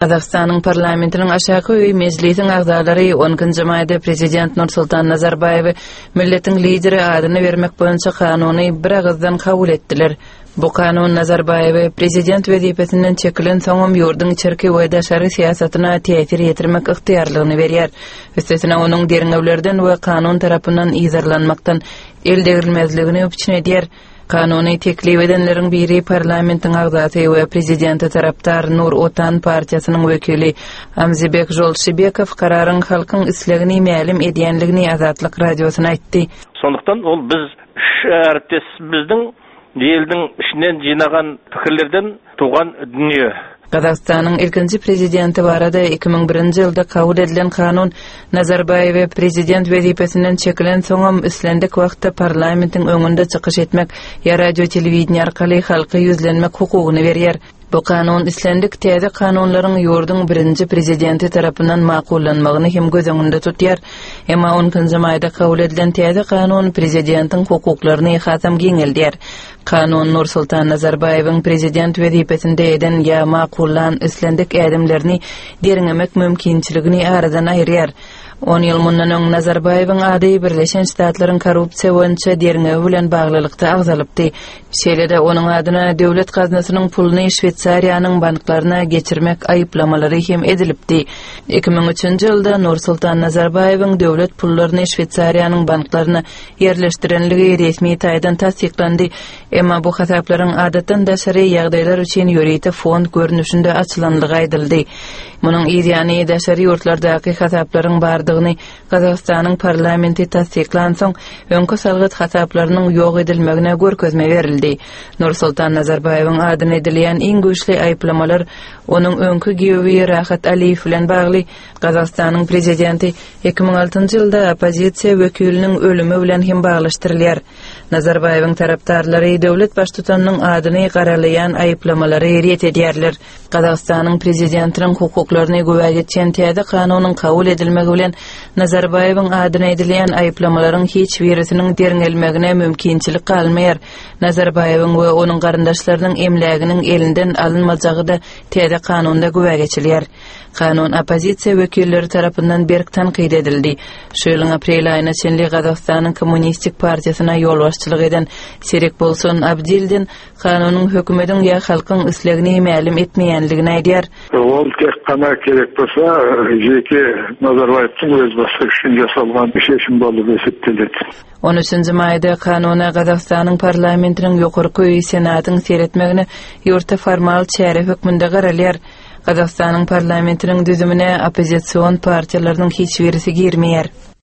Gazagystanyň parlamentiniň aşaky öýi Mejlisiň agzalary on ikinji maýda prezident Nursultan Nazarbaýewe milletiň lideri adyny bermek boýunça kanuny biragyzdan kabul etdiler. Bu kanun Nazarbaýewe prezident wezipesinden çekilensoňam ýurduň içerki we daşary syýasatyna täsir ýetirmek ygtyýarlygyny berýär. Üstesine onuň derňewlerden we kanun tarapyndan yzarlanmakdan el degrilmezligini üpjün edýär. Kanuny teklip edenleriň biri parlamentiň agzasy we prezidente tarapdar Nur Otan partiýasynyň wekili Amzibek Žolşibekow kararyň halkyň islegini mälim edýänligini Azatlyk Radiosyna aýtdy. Sonluktan ol biz üç äripdesimizdiň eldiň içinden jynagan pikirlerden tugan dünýe. Gazagystanyň ilkinji prezidenti barada 2001-nji ýylda kabul edilen kanun Nazarbaýewe prezident wezipesinden çekilensoňam islendik wagtda parlamentiň öňünde çykyş etmek ýa radio-telewideniýe arkaly halka ýüzlenmek hukugyny berýär. Bu kanun islendik täze kanunlaryň ýurduň birinji prezidenti tarapyndan makullanmagyny hem göz öňünde tutýar. Emma on ikinji maýda kabul edilen täze kanun prezidentiň hukuklaryny hasam giňeldýär. Kanun Nursultan Nazarbaýewiň prezident wezipesinde eden ýa makullan islendik ädimlerini derňemek mümkinçiligini aradan aýyrýar. On ýyl mundan öň Nazarbaýewiň ady Birleşen Ştatlaryň korrupsiýa boýunça derňewi bilen baglylykda agzalypdy. Şeýle-de onuň adyna döwlet gaznasynyň puluny Şweýsariýanyň banklaryna geçirmek aýyplamalary hem edilipdi. 2003-nji ýylda Nursultan Nazarbaýewiň döwlet pullaryny Şweýsariýanyň banklaryna ýerleşdirenligi resmi taýdan tassyklandy, emma bu hasaplaryň adatdan daşary ýagdaýlar üçin ýörite fond görnüşinde açylanlygy aýdyldy. Munuň yz ýany daşary ýurtlardaky hasaplaryň bardygyny Gazagystanyň parlamenti tassyklansoň, öňki salgyt hasaplarynyň ýok edilmegine görkezme berildi. Nursultan Nazarbaýewiň adyna edilýän iň güýçli aýyplamalar onuň öňki giýewi Rahat Aliýew bilen bagly Gazagystanyň prezidenti 2006-njy ýylda oppozisiýa wekiliniň ölümi bilen hem baglaşdyrylýar. Nazarbaýewiň tarapdarlary döwlet baştutanynyň adyny garalaýan aýyplamalary ret edýärler. Gazagystanyň prezidentiniň hukuklaryny güwä geçýän täze kanunyň kabul edilmegi bilen Nazarbaýewiň adyna edilýän aýyplamalaryň hiç birisiniň derňelmegine mümkinçilik galmaýar. Nazarbaýewiň we onuň garyndaşlarynyň emläginiň elinden alynmajagy-da täze kanunda güwä geçilýär. Kanun oppozisiýa wekilleri tarapyndan berk tankyt edildi. Şu ýylyň aprel aýyna çenli Gazagystanyň Kommunistik partiýasyna ýolbaşçylyk eden Serikbolsun Abdildin kanunyň hökümediň ýa halkyň islegini mälim etmeýänligini aýdýar. Ol tek gana kerek bolsa, jeke Nazarbaýewtiň öz başlygy üçin ýasalgan şeşim bolup esepdeledi. On üçünji maýda kanuna Gazagystanyň parlamentiniň ýokarky öýi Senatyň seretmegine ýurtda formal çäre hökmünde garalýar. Gazagystanyň parlamentiniň düzümine oppozision partiýalarynyň hiç birisi girmeýär.